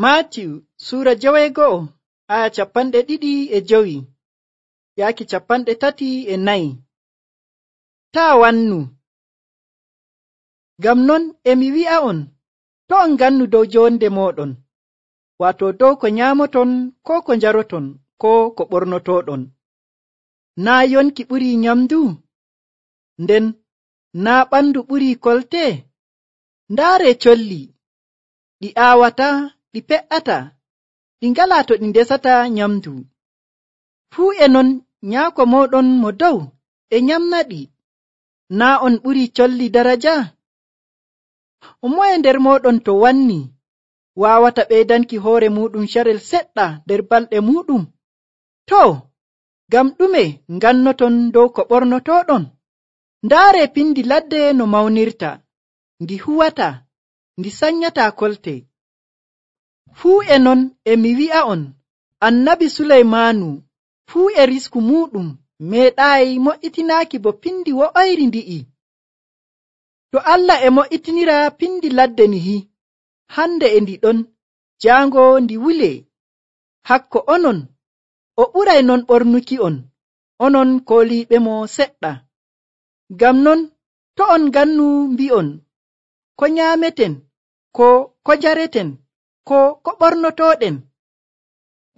Maatiyu Sura 12 aya 25 yaaki 34. Taa wannu. Ngam non emi wi'a'on, to on ngannu dow jonde moɗon, wato dow ko nyaamoton ko ko njaroton ko ko ɓornotoɗon. Naa yonki ɓurii nyamdu? Nden naa ɓandu ɓurii kolte? Ndaaree colli, ɗi aawataa, ɗi pe'ataa, ɗi ngalaa to ɗi ndesata nyamdu. Fuu e non nyaako mooɗon mo dow e nyamnaɗi. Naa on ɓurii colli daraja? Moye nder mooɗon to wanni waawata ɓeydanki hoore muuɗum carel seɗɗa nder balɗe muuɗum? Too, ngam ɗume ngannoton dow ko ɓornotoɗon? Ndaaree pindi ladde no mawnirta, ndi huwataa, ndi sanyataa kolte. Fuu e non emi wi'a'on, Annabi Suleymaanu fuu e risku muuɗum meeɗaayi mo'itinaaki bo pindi wo'oyri ndi'i. To Allah e mo'itinira pindi ladde nihi, hande e ndi ɗon jaango ndi wulee. Hakko onon, o ɓuray non ɓornuki'on, onon kooliiɓe mo seɗɗa. Ngam non, to on ngannu mbi'on, ko nyaameten, ko njareten, ko ɓornotoɗen.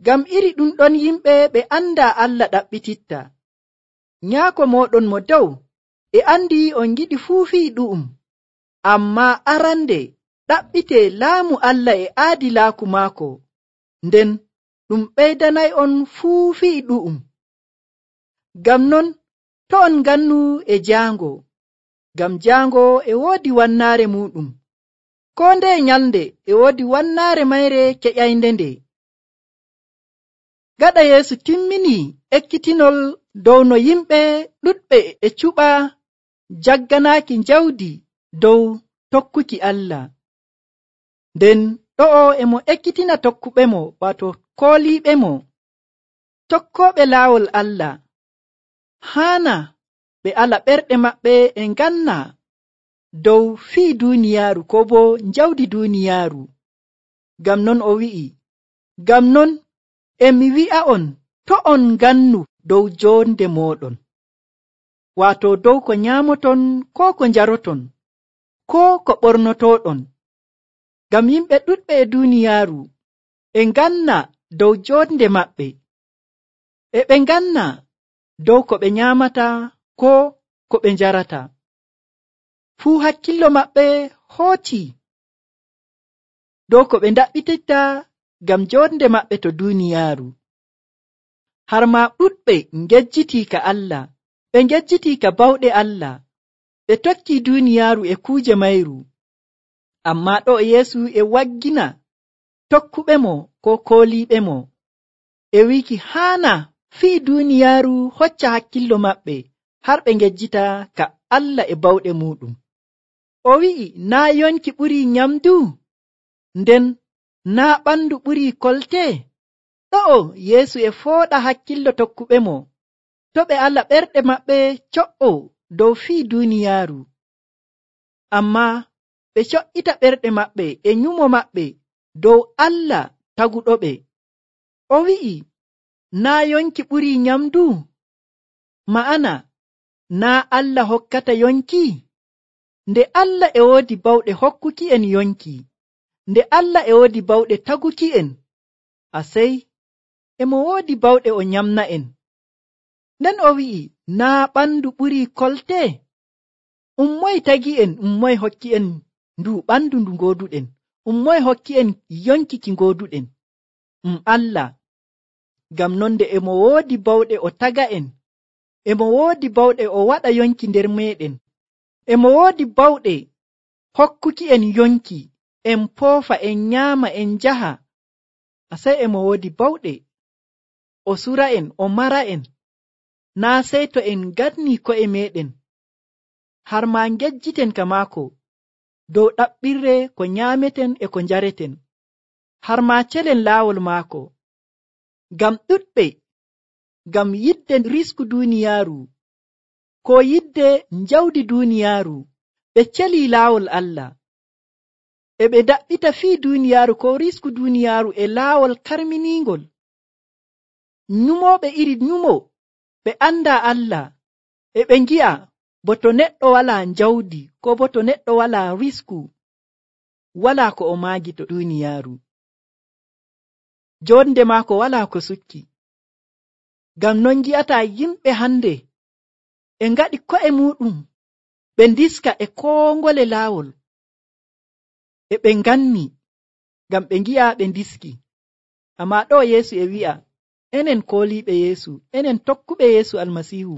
Ngam iri ɗum ɗon yimɓe ɓe andaa Allah ɗaɓɓititta. Nyaako mooɗon mo dow e andi on giɗi fuu fii ɗu'um, ammaa arande ɗaɓɓitee laamu Allah e aadilaaku maako, nden ɗum ɓeydanay'on fuu fii ɗu'um. Ngam non, to on ngannu e jaango, ngam jaango e woodi wannaare muuɗum. Koo ndeye nyalnde e woodi wannaare mayre keƴaynde nde. Gaɗa Yeesu timminii ekkitinol dow no yimɓe ɗuɗɓe e cuɓa jagganaaki jawdi dow tokkuki Allah. Nden ɗo'o e mo ekkitina tokkuɓemo, wato kooliiɓemo, tokkooɓe laawol Allah. Haana ɓe ala ɓerɗe maɓɓe e nganna dow fii duuniyaaru ko boo jawdi duuniyaaru. Ngam non o wi'i, ngam non emi wi'a'on, to on ngannu dow jonde mooɗon, wato dow ko nyaamoton ko ko njaroton ko ko ɓornotoɗon. Ngam yimɓe ɗuɗɓe e duuniyaaru e nganna dow jonde maɓɓe, e ɓe nganna dow ko ɓe nyaamata ko ko ɓe njarata. Fuu hakkillo maɓɓe hootii dow ko ɓe ndaɓɓititta ngam jonde maɓɓe to duuniyaaru. Har maa ɗuɗɓe ngejjitii ka Allah, ɓe ngejjitii ka bawɗe Allah, ɓe tokkii duuniyaaru e kuuje mayru. Ammaa ɗo Yeesu e waggina tokkuɓemo ko kooliiɓemo, e wiiki haana fii duuniyaaru hocca hakkillo maɓɓe har ɓe ngejjita ka Allah e bawɗe muuɗum. O wi'i, naa yonki ɓurii nyamdu? Nden naa ɓandu ɓurii kolte? Ɗo'o Yeesu e fooɗa hakkillo tokkuɓemo, to ɓe ala ɓerɗe maɓɓe co'o dow fii duuniyaaru, ammaa ɓe co'ita ɓerɗe maɓɓe e nyumo maɓɓe dow Allah taguɗoɓe. O wi'i, naa yonki ɓurii nyamdu? Ma'ana, naa Allah hokkata yonki? Nde Allah e woodi bawɗe hokkuki'en yonki, nde Allah e woodi bawɗe taguki'en, asey emo woodi bawɗe o nyamna'en. Nden o wi'i, naa ɓandu ɓurii kolte? Moye tagi'en, moye hokki'en ndu ɓandu ndu ngooduɗen, moye hokki'en yonki ki ngooduɗen? Allah. Ngam non nde emo woodi bawɗe o taga'en, emo woodi bawɗe o waɗa yonki nder meeɗen, emo woodi bawɗe hokkuki'en yonki, en poofa, en nyaama, en njaha. Asey emo woodi bawɗe o sura'en, o mara'en, naa sey to en nganni ko'e meeɗen, har maa ngejjiten ka maako dow ɗaɓɓirre ko nyaameten e ko njareten, har maa celen laawol maako. Ngam ɗuɗɓe, ngam yidde risku duuniyaaru ko yidde jawdi duuniyaaru, ɓe celii laawol Allah. e ɓe daɓɓita fii duniyaaru ko risku duniyaaru e laawol karminingol. Nyumooɓe iri nyumo ɓe anda Allah e ɓe ngi'a bo to neɗɗo walaa njawdi ko bo to neɗɗo walaa risku walaa ko o maagi to duniyaaru. Jonde maako walaa ko sukki. Ngam non ngi'ataa yimɓe hande e ngaɗi ko'e muɗum ɓe ndiska e koo ngole laawol e ɓe nganni ngam ɓe ngi'a ɓe ndiski. Amma ɗo Yeesu e wi'a enen kooliiɓe Yeesu, enen tokkuɓe Yeesu Almasiihu,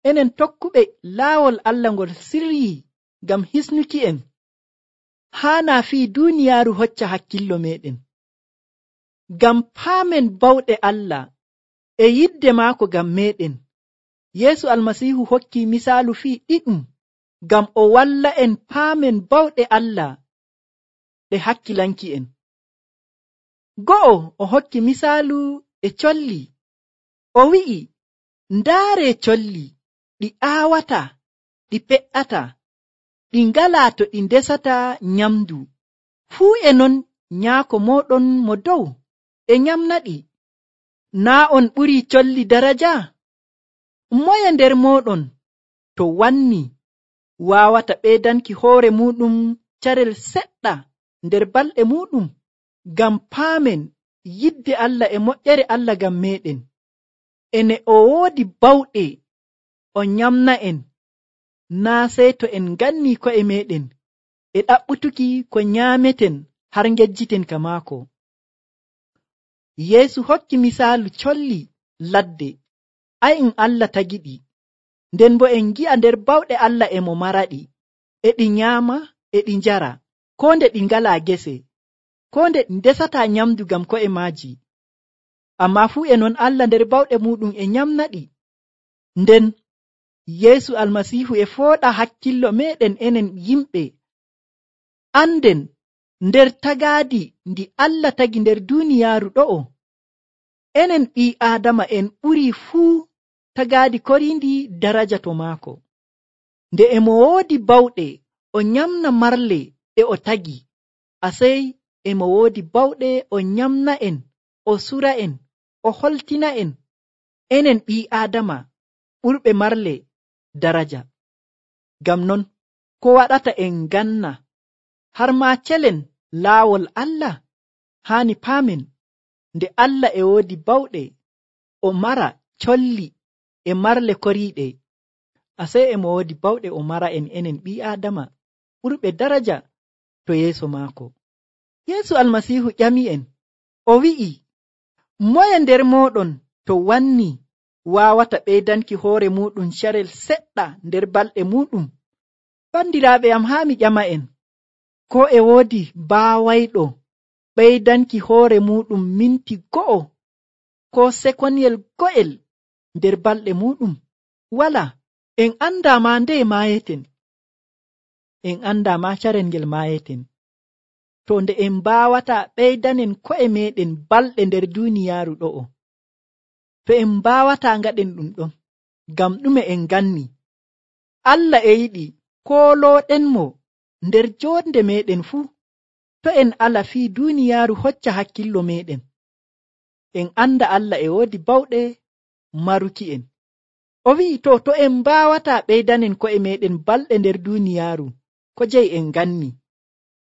enen tokkuɓe laawol Allah ngol sirri ngam hisnuki en, haana fii duniyaaru hocca hakkillo meɗen. Ngam paamen bawɗe Allah e yidde maako ngam meɗen. Yeesu Almasiihu hokki misaalu fii ɗiɗum ngam o walla en paamen bawɗe Allah ɗe hakkilanki en. Go'o o hokki misaalu e colli. O wi'i, ndaare colli ɗi aawata, ɗi pe'ata, ɗi ngalaa to ɗi ndesata nyamdu. Fuu e non nyaako mooɗon mo dow e nyamnaɗi. Naa on ɓurii colli daraja? Moye nder mooɗon to wanni waawata ɓeydanki hoore muɗum carel seɗɗa nder balɗe muɗum? Ngam paamen yidde Allah e moƴƴere Allah ngam meɗen. Ene o woodi bawɗe o nyamna en, naa sey to en ganni ko'e meɗen e ɗaɓɓutuki ko nyaameten har ngejjiten ka maako. Yeesu hokki misaalu colli ladde. Ai Allah tagiɗi, nden bo en gi'a nder bawɗe Allah e mo maraɗi, e ɗi nyaama e ɗi njara, ko nde ɗi ngalaa gese, ko nde ɗi ndesataa nyamdu ngam ko'e maaji. Amma fuu e non Allah nder bawɗe muɗum e nyamnaɗi. Nden Yeesu Almasiihu e fooɗa hakkillo meɗen enen yimɓe, anden nder tagaadi ndi Allah tagi nder duniyaaru ɗo'o, enen ɓii Aadama en ɓurii fuu tagaadi koriindi daraja to maako. Nde e mo woodi bawɗe o nyamna marle ɗe o tagi, asey e mo woodi bawɗe o nyamna en, o sura en, o holtina en, enen ɓii Aadama ɓurɓe marle daraja. Ngam non ko waɗata en ganna har maa celen laawol Allah? Haani paamen nde Allah e woodi bawɗe o mara colli e marle koriiɗe, asey e mo woodi bawɗe o mara en enen ɓii Aadama ɓurɓe daraja to yeeso maako. Yeesu Almasiihu ƴami en, o wi'i, moye nder mooɗon to wanni waawata ɓeydanki hoore muɗum carel seɗɗa nder balɗe muɗum? Bandiraaɓe am, haa mi ƴama en, ko e woodi baawayɗo ɓeydanki hoore muɗum minti go'o ko sekonyel go'el nder balɗe muɗum? Wala. En andaa ma nde maayeten, en andaa ma carel ngel maayeten. To nde en mbaawata ɓeydanen ko'e meɗen balɗe nder duniyaaru ɗo'o, to en mbaawata ngaɗen ɗum ɗon, ngam ɗume en ganni Allah e yiɗi koolooɗenmo nder jonde meɗen fuu. To en ala fii duniyaaru hocca hakkillo meɗen, en anda Allah e woodi bawɗe maruki en. O wi'i, to en mbaawata ɓeydanen ko'e meɗen balɗe nder duniyaaru, ko jeyi en ganni?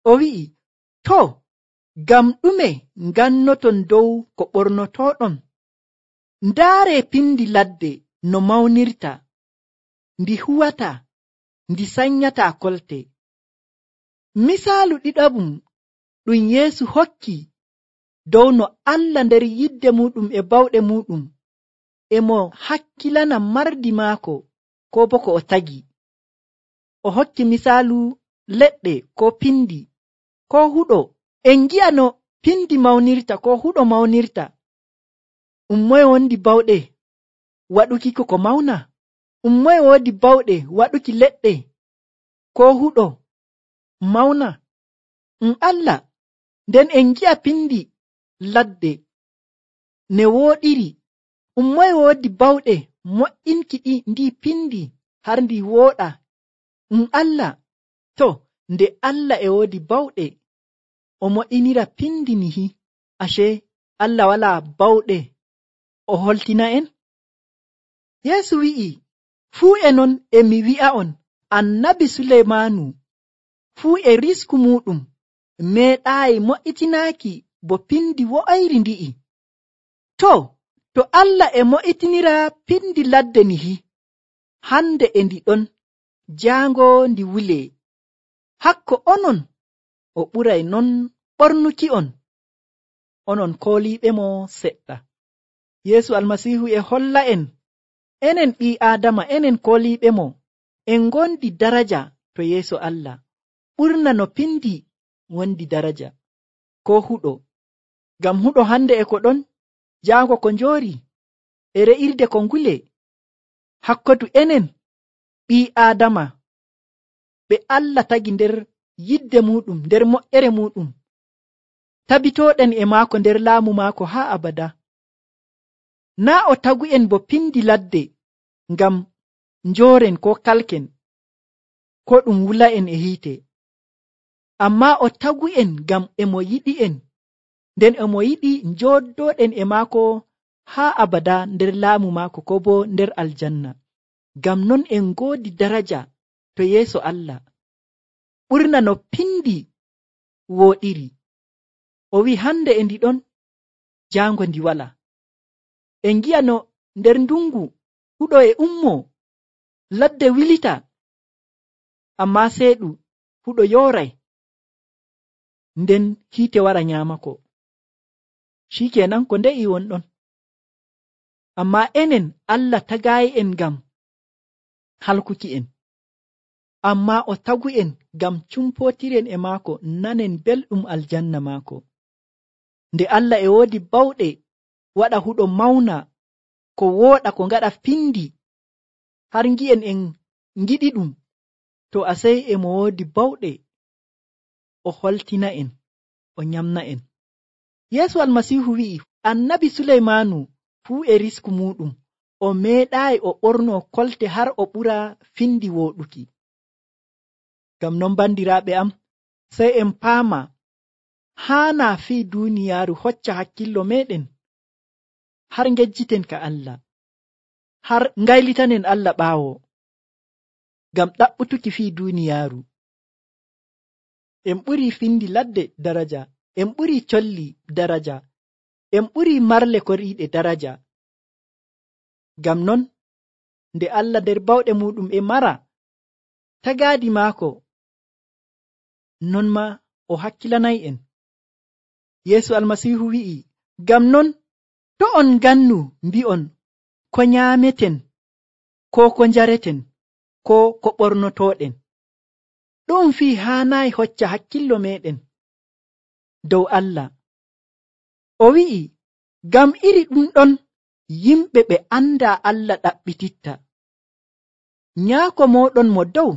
O wi'i, to ngam ɗume ngannoton dow ko ɓornotoɗon? Ndaare pindi ladde no mawnirta, ndi huwata, ndi sanyata kolte. Misaalu ɗiɗaɓum ɗum Yeesu hokki dow no Allah nder yidde muɗum e bawɗe muɗum e mo hakkilana mardi maako ko bo ko o tagi. O hokki misaalu leɗɗe ko pindi ko huɗo. En gi'a no pindi mawnirta ko huɗo mawnirta. Moye wondi bawɗe waɗuki ko mawna? Moye woodi bawɗe waɗuki leɗɗe ko huɗo mawna? Allah. Nden en gi'a pindi ladde ne wooɗiri. Moye woodi bawɗe mo'inki ndi pindi har ndi wooɗa? Allah. To nde Allah e woodi bawɗe o mo'inira pindi nihi, ashe Allah wala bawɗe o holtina en? Yeesu wi'i, fuu e non e mi wi'a'on, annabi Suleymaanu fuu e risku muɗum meeɗaayi mo'itinaaki bo pindi wo'ayri ndi'i. To Allah e mo'itinira pindi ladde nihi, hande e ndi ɗon jaango ndi wulee, hakko onon o ɓuray non ɓornuki'on, onon kooliiɓemo seɗɗa. Yeesu Almasiihu e holla en, enen ɓii Aadama, enen kooliiɓemo, en ngondi daraja to yeeso Allah, ɓurna no pindi wondi daraja, ko huɗo. Ngam huɗo hande e ko ɗon jaango ko njoori, e re'irde ko ngule, hakkotu enen ɓii Aadama ɓe Allah tagi nder yidde muɗum, nder moƴƴere muɗum, tabitooɗen e maako nder laamu maako haa abada. Naa o tagu'en bo pindi ladde ngam njooren ko kalken, ko ɗum wula'en e hiite, amma o tagu'en ngam emo yiɗi'en, nden emo yiɗi njooɗoɗen e maako haa abada nder laamu maako, ko bo nder aljanna. Ngam non en ngoodi daraja to yeeso Allah, ɓurna no pindi wooɗiri. O wi hande e ndi ɗon jaango ndi wala. En gi'a no nder ndungu huɗo e ummo, ladde wilita, amma seeɗu huɗo yooray, nden hiite wara nyaamako. Shikenan ko nde'i wonɗon. Amma enen Allah tagayi en ngam halkuki en, amma o tagu'en ngam cumpotiren e maako, nanen belɗum aljanna maako. Nde Allah e woodi bawɗe waɗa huɗo mawna, ko wooɗa, ko ngaɗa pindi, har ngi'en en ngiɗi ɗum, to asey emo woodi bawɗe o holtina en, o nyamna en. Yeesu Almasiihu wi'i, annabi Suleymaanu fuu e risku muɗum o meeɗaayi o ɓorno kolte har o ɓura findi wooɗuki. Ngam non bandiraaɓe am, sey en paama haana fii duuniyaaru hocca hakkillo meɗen, har ngejjiten ka Allah, har ngaylitanen Allah ɓaawo, ngam ɗaɓɓutuki fii duuniyaaru. En ɓuri findi ladde daraja, en ɓuri colli daraja, en ɓuri marle koriiɗe daraja. Ngam non nde Allah nder bawɗe muɗum e mara tagaadi maako, non ma o hakkilanay en. Yeesu Almasiihu wi'i, ngam non to on ngannu mbi'on ko nyaameten, ko njareten, ko ɓornotoɗen. Ɗum fii haanayi hocca hakkillo meɗen dow Allah. O wi'i, ngam iri ɗum ɗon yimɓe ɓe anda Allah ɗaɓɓititta. Nyaako moɗon mo dow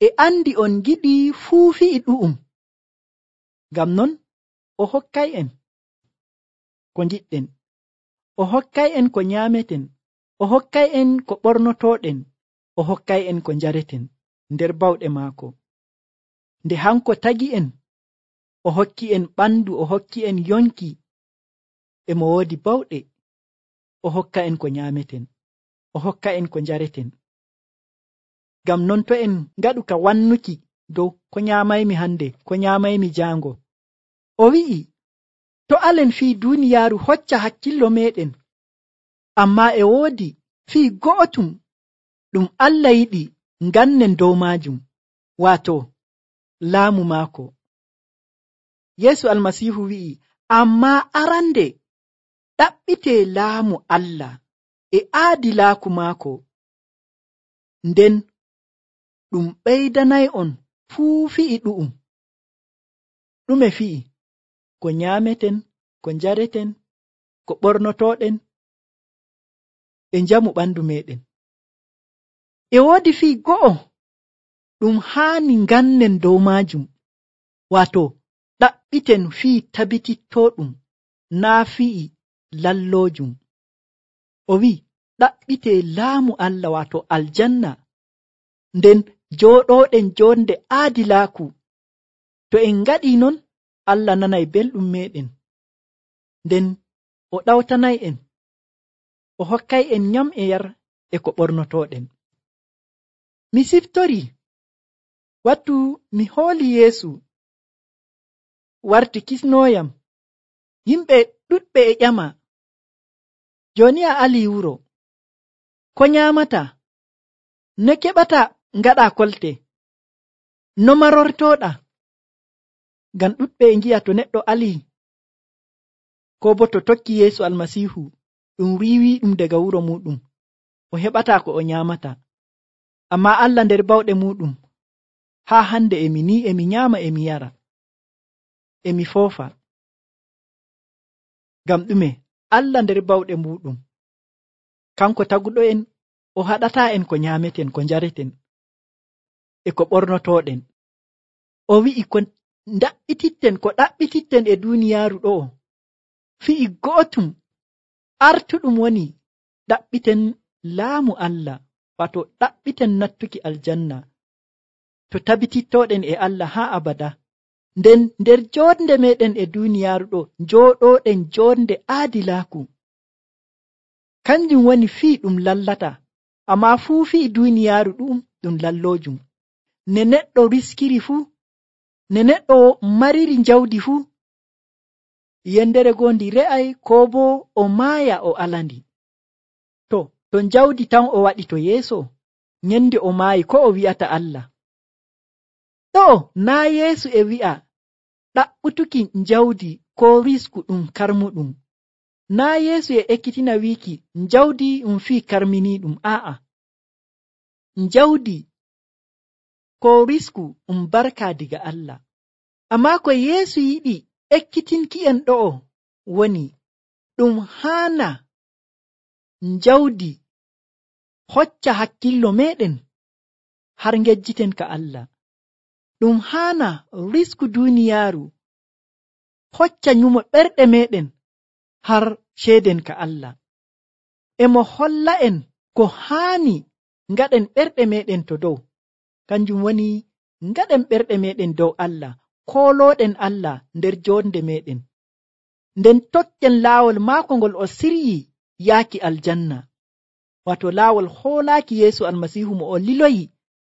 e andi on giɗi fuu fi'i ɗu'um. Ngam non o hokkay en ko ngiɗɗen, o hokkay en ko nyaameten, o hokkay en ko ɓornotoɗen, o hokkay en ko njareten nder bawɗe maako. Nde hanko tagi en, o hokki en ɓandu, o hokki en yonki, emo woodi bawɗe, o hokka en ko nyaameten, o hokka en ko njareten. Ngam non to en ngaɗu ka wannuki dow ko nyaamaymi hande, ko nyaamaymi jaango, o wi'i, to alen fii duuniyaaru hocca hakkillo meɗen, amma e woodi fii go'otum ɗum Allah yiɗi ngannen dow maajum, waato laamu maako. Yeesu Almasiihu wi'i, amma arande ɗaɓɓite laamu Allah e aadilaaku maako, nden ɗum ɓeydanay on fuu fi'i ɗu'um. Ɗume fi'i? Ko nyaameten, ko njareten, ko ɓornotoɗen, e njamu ɓandu meɗen. E woodi fii go'o ɗum haani ngannen dow maajum, waato ɗaɓɓiten fii tabitittoɗum, naa fi'i lalloojum. O wi'i, ɗaɓɓite laamu Allah, waato aljanna, nden jooɗoɗen jonde aadilaaku. To en ngaɗi non, Allah nanay belɗum meɗen, nden o ɗawtanay en, o hokkay en nyam e yar e ko ɓornotoɗen. Mi siftori wattu mi hooli Yeesu warti kisnoyam, yimɓe ɗuɗɓe e ƴama, joni a ali wuro, ko nyamata, no keɓata ngaɗa kolte, no marortoɗa. Ngam ɗuɗɓe e ngi'a to neɗɗo ali ko bo to tokki Yeesu almasihu ɗum wiwi ɗum daga wuro muɗum o heɓata ko o nyamata. Amma Allah nder bawɗe muɗum haa hande emi nyama emi yara emi foofa. Ngam ɗume? Allah nder bawɗe muɗum kanko taguɗo en o haɗata en ko nyameten, ko njareten e ko ɓornotoɗen. O wi'i ko ndaɓɓititten, ko ɗaɓɓititten e duniyaaru ɗo fi'i go'otum, artuɗum woni ɗaɓɓiten laamu Allah, wato ɗaɓɓiten nattuki aljanna, to tabitittoɗen e Allah haa abada. Nden nder jonde meɗen e duniyaaru ɗo jooɗoɗen jonde aadilaaku, kanjum woni fii ɗum lallata, amma fuu fii duniyaaru ɗum lallojum. Ne neɗɗo riskiri fuu, ne neɗɗo mariri jawdi fuu, yendere goo ndi re'ay ko bo o maaya o alandi. To jawdi tan o waɗi to yeeso, nyende o maayi ko o wi'ata Allah? Ɗo naa Yeesu e wi'a ɗaɓɓutuki jawdi ko risku ɗum karmuɗum. Naa Yeesu e ekkitina wiiki jawdi fii karminiɗum. A'a, jawdi ko risku barka diga Allah. Amma ko Yeesu yiɗi ekkitinki en ɗo'o woni ɗum haana jawdi hocca hakkillo meɗen har ngejjiten ka Allah. Ɗum haana risku duniyaaru hocca nyumo ɓerɗe meɗen har ceeden ka Allah. Emo holla en ko haani ngaɗen ɓerɗe meɗen to dow, kanjum woni ngaɗen ɓerɗe meɗen dow Allah, kooloɗen Allah nder jonde meɗen, nden tokken laawol maako ngol o siryi yaaki aljanna, wato laawol hoolaaki Yeesu almasihu mo o liloyi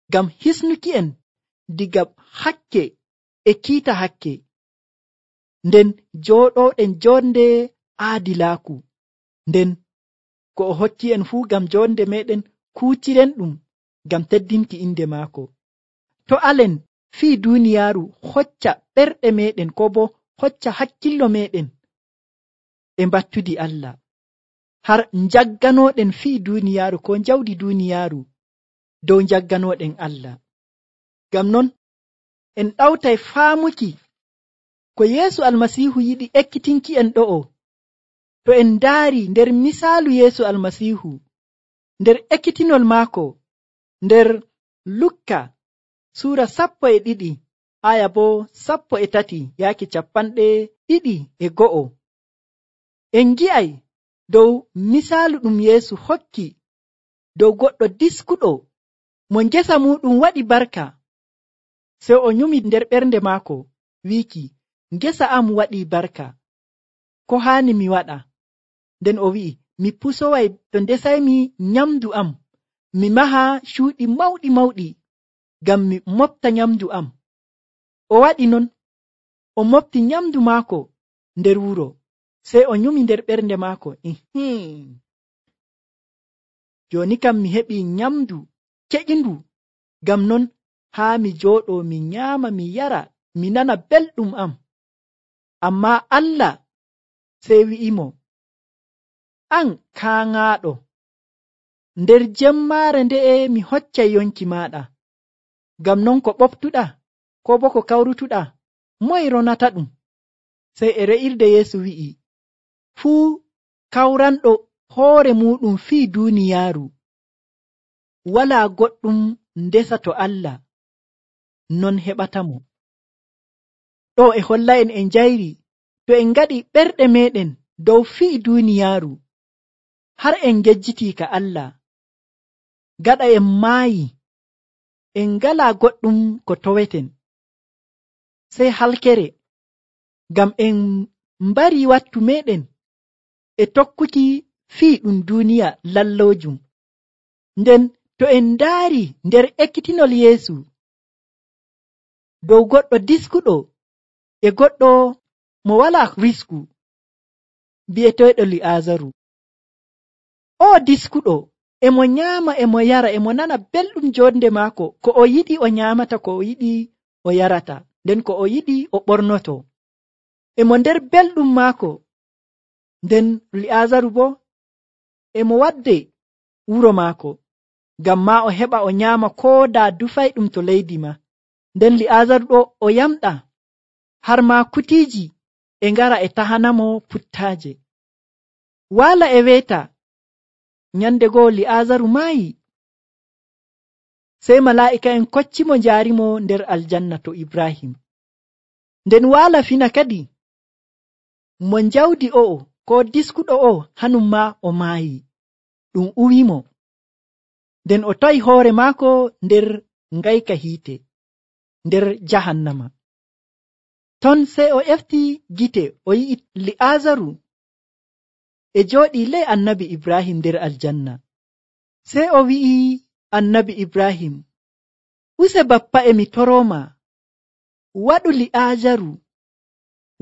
ngam hisnuki en diga hakke e kiita hakke, nden jooɗoɗen jonde aadilaaku. Nden ko o hokki en fuu ngam jonde meɗen kuutiren ɗum ngam teddinki inde maako. To alen fii duniyaaru hocca ɓerɗe meɗen ko bo hocca hakkillo meɗen e mbattudi Allah, har jagganoɗen fii duniyaaru ko jawdi duniyaaru dow jagganoɗen Allah. Ngam non en ɗawtay faamuki ko Yeesu almasihu yiɗi ekkitinki en ɗo'o. To en ndaari nder misaalu Yeesu almasihu, nder ekkitinol maako nder Lukka Suura 12 aya bo 13 yaaki 21, en gi'ay dow misaalu ɗum Yeesu hokki dow goɗɗo diskuɗo mo ngesa muɗum waɗi barka, sey o nyumi nder ɓernde maako wiiki, ngesa am waɗi barka, ko haani mi waɗa? Nden o wi'i, mi pusoway to ndesaymi nyamdu am, mi maha cuuɗi mawɗi mawɗi ngam mi mofta nyamdu am. O waɗi non, o mofti nyamdu maako nder wuro, sey o nyumi nder ɓernde maako, joni kam mi heɓi nyamdu keƴindu, ngam non haa mi jooɗo mi nyaama mi yara mi nana belɗum am. Amma Allah sey wi'imo, an kaaŋaaɗo, nder jemmaare nde'e mi hoccay yonki maɗa, ngam non ko ɓoftuɗa ko bo ko kawrutuɗa moy ronata ɗum? Sey e re'irde Yeesu wi'i, fuu kawranɗo hoore muɗum fii duniyaaru wala goɗɗum ndesa to Allah non heɓatamo. Ɗo e holla en njayri to en ngaɗi ɓerɗe meɗen dow fii duniyaaru har en ngejjitii ka Allah, gaɗa en maayi en ngala goɗɗum ko toweten, sey halkere ngam en mbari wattu meɗen e tokkuki fii ɗum duniya lallojum. Nden to en ndaari nder ekkitinol Yeesu dow goɗɗo diskuɗo e goɗɗo mo walaa risku bi'eteeɗo Li'aazaru. O diskuɗo emo nyaama emo yara emo nana belɗum jonde maako, ko o yiɗi o nyaamata, ko o yiɗi o yarata, nden ko o yiɗi o ɓornoto, emo nder belɗum maako. Nden Li'aazaru bo emo wadde wuro maako ngam ma o heɓa o nyaama ko daa dufayɗum to leydi ma. Nden Li'aazaru ɗo o yamɗa har ma kutiiji e ngara e tahanamo puttaaje. Waala e weeta nyande goo Li'aazaru maayi, sey malaa'ika'en koccimo njaarimo nder aljanna to Ibrahim. Nden waala fina kadi mo njawdi o'o ko diskuɗo o hanum ma o maayi, ɗum uwimo. Nden o tawi hoore maako nder ngayka hiite nder jahannama. Ton sey o efti gite o yi'i Li'aazaru e jooɗi ley annabi Ibrahim nder aljanna. Sey o wi'i annabi Ibrahim, use bappa e mi toroma, waɗu Li'aazaru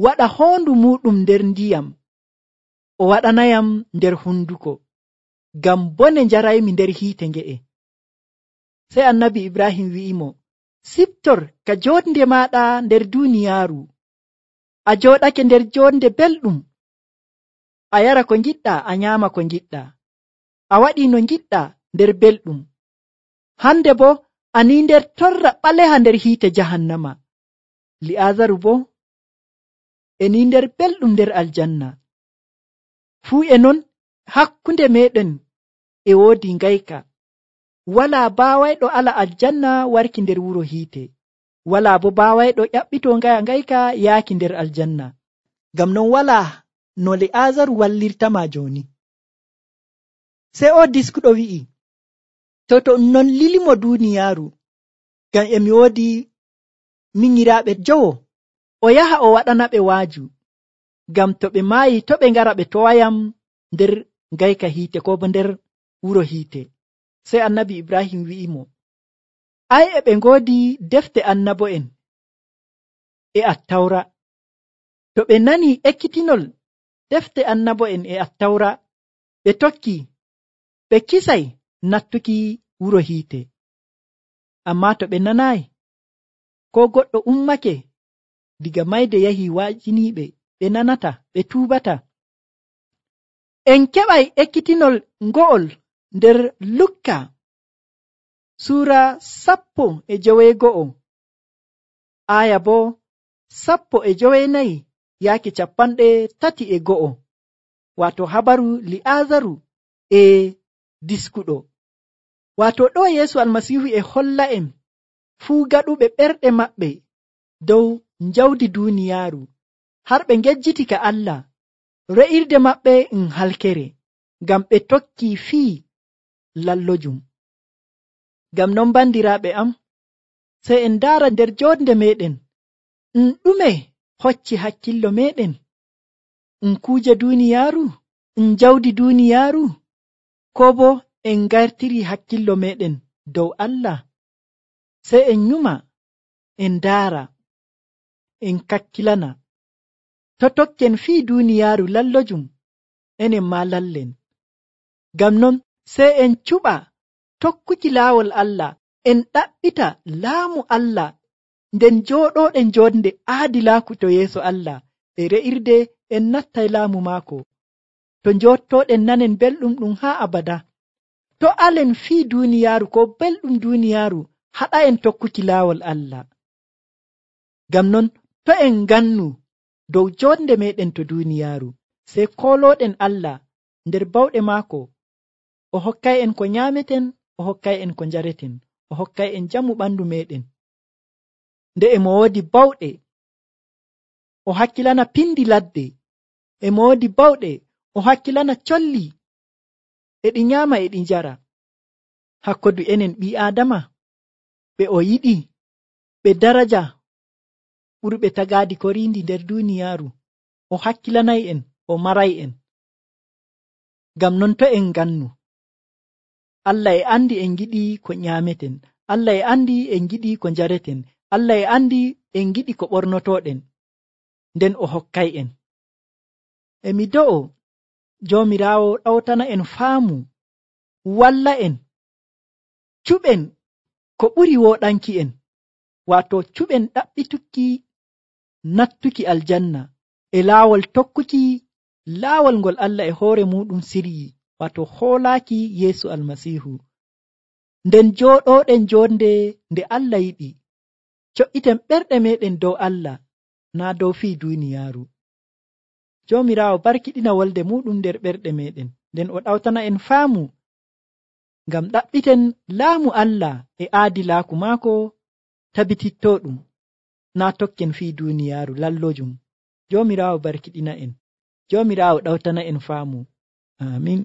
waɗa hoondu muɗum nder ndiyam, o waɗanayam nder hunduko, ngam bone njaraymi nder hiite nge'e. Sey annabi Ibrahim wi'imo, siptor ka jonde maɗa nder duniyaaru, a jooɗake nder jonde belɗum, a yara ko ngiɗɗa, a nyaama ko ngiɗɗa, a waɗi no ngiɗɗa nder belɗum. Hande bo ani nder torra ɓaleha nder hiite jahannama. Li'aazaru bo eni nder belɗum nder aljanna. Fuu e non hakkunde meɗen e woodi ngayka. Walaa baawayɗo ala aljanna warki nder wuro hiite, walaa bo baawayɗo ƴaɓɓito ngayka yaaki nder aljanna. Ngam non walaa no Li'aazaru wallirtama jooni. Sey o diskuɗo wi'i, to non lilimo duniyaaru, ngam emi woodi minyiraaɓe jowo, o yaha o waɗana ɓe waaju, ngam to ɓe maayi to ɓe ngara ɓe towayam nder ngayka hiite ko bo nder wuro hiite. Sey annabi Ibrahim wi'imo, ai e ɓe ngoodi defte annabo'en e attawra. To ɓe nani ekkitinol defte annabo'en e attawra, ɓe tokki, ɓe kisay nattuki wuro hiite. Amma to ɓe nanayi, ko goɗɗo ummake diga mayde yahi waajiniiɓe, ɓe nanata, ɓe tuubata. En keɓay ekkitinol ngo'ol nder Lukka Suura 11 aya bo 14 yaaki 31, wato habaru Li'aazaru e diskuɗo. Wato ɗo Yeesu Almasiihu e holla en fuu gaɗuɓe ɓerɗe maɓɓe dow njawdi duniyaaru, har ɓe ngejjiti ka Allah, re'irde maɓɓe halkere, ngam ɓe tokki fii lallojum. Ngam non bandiraaɓe am, sey en ndaara nder jonde meɗen, ɗume hocci hakkillo meɗen? Kuuje duniyaaru, njawdi duniyaaru, ko bo en ngartiri hakkillo meɗen dow Allah? Sey en nyuma, en ndaara, en kakkilana. To tokken fii duniyaaru lallojum, enen ma lallen. Ngam non sey en cuɓa tokkuki laawol Allah, en ɗaɓɓita laamu Allah, nden jooɗoɗen jonde aadilaaku to yeeso Allah, e re'irde en nattay laamu maako, to njottoɗen nanen belɗum ɗum haa abada. To alen fii duniyaaru ko belɗum duniyaaru haɗa en tokkuki laawol Allah. Ngam non to en ngannu dow jonde meɗen to duniyaaru, sey koloɗen Allah nder bawɗe maako, o hokkay en ko nyaameten, o hokkay en ko njareten, o hokkay en jamu ɓandu meɗen. Nde emo woodi bawɗe, o hakkilana pindi ladde, emo woodi bawɗe, o hakkilana colli, e ɗi nyaama e ɗi njara. Hakkodu enen ɓii Aadama, ɓe o yiɗi, ɓe daraja, ɓurɓe tagaadi ko riindi nder duniyaaru, o hakkilanay en, o maray en. Ngam non to en gannu, Allah e andi en giɗi ko nyaameten, Allah e andi en giɗi ko njareten, Allah e andi en giɗi ko ɓornotoɗen, nden o hokkay en. Emi do'o Joomiraawo ɗawtana en faamu, walla en cuɓen ko ɓuri woɗanki en, waato cuɓen ɗaɓɓitukki nattuki aljanna e laawol tokkuki laawol ngol Allah e hoore muɗum siryi, waato hoolaaki Yeesu Almasiihu. Nden jooɗoɗen jonde nde Allah yiɗi, co'iten ɓerɗe meɗen dow Allah, naa dow fii duniyaaru. Joomiraawo barkiɗina wolde muɗum nder ɓerɗe meɗen, nden o ɗawtana en faamu, ngam ɗaɓɓiten laamu Allah e aadilaaku maako tabitittoɗum, naa tokken fii duniyaaru lallojum. Joomiraawo barkiɗina en, Joomiraawo ɗawtana en faamu. Amin.